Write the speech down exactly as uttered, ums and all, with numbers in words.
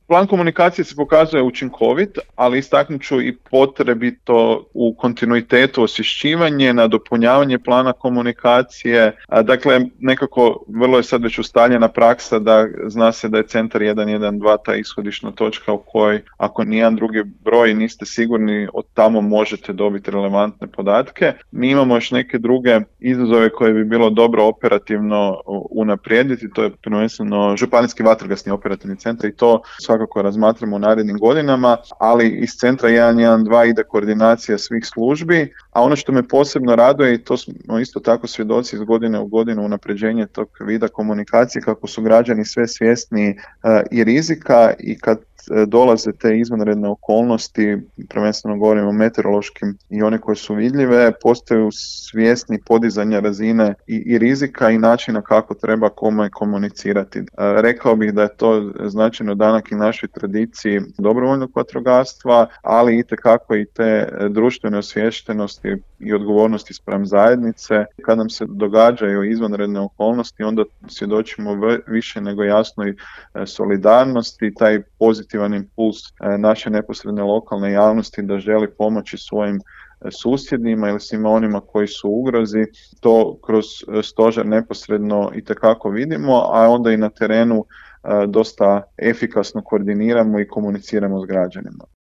Plan komunikacije se pokazuje učinkovit, ali istaknut ću i potrebito u kontinuitetu osvješćivanje, nadopunjavanje plana komunikacije. Dakle, nekako vrlo je sad već ustaljena praksa da zna se da je centar jedan jedan dva ta ishodišna točka u kojoj ako nijedan drugi broj niste sigurni, od tamo možete dobiti relevantne podatke. Mi imamo još neke druge izazove koje bi bilo dobro operativno unaprijediti, to je prvenstveno županijski vatrogasni operativni centar i to svakako razmatramo u narednim godinama, ali iz centra jedan jedan dva ide koordinacija svih službi, a ono što me posebno raduje, i to smo isto tako svjedoci iz godine u godinu unapređenje tog vida komunikacije, kako su građani sve svjesniji uh, i rizika i kad dolaze te izvanredne okolnosti, prvenstveno govorimo o meteorološkim i one koje su vidljive, postaju svjesni podizanja razine i, i rizika i načina kako treba kome komunicirati. E, rekao bih da je to značajno danak i našoj tradiciji dobrovoljnog vatrogastva, ali itekako i te društvene osviještenosti i odgovornosti spram zajednice. Kad nam se događaju izvanredne okolnosti, onda svjedočimo v- više nego jasnoj solidarnosti, taj pozitivan impuls naše neposredne lokalne javnosti da želi pomoći svojim susjedima ili svima onima koji su u ugrozi, to kroz stožer neposredno itekako vidimo, a onda i na terenu dosta efikasno koordiniramo i komuniciramo s građanima.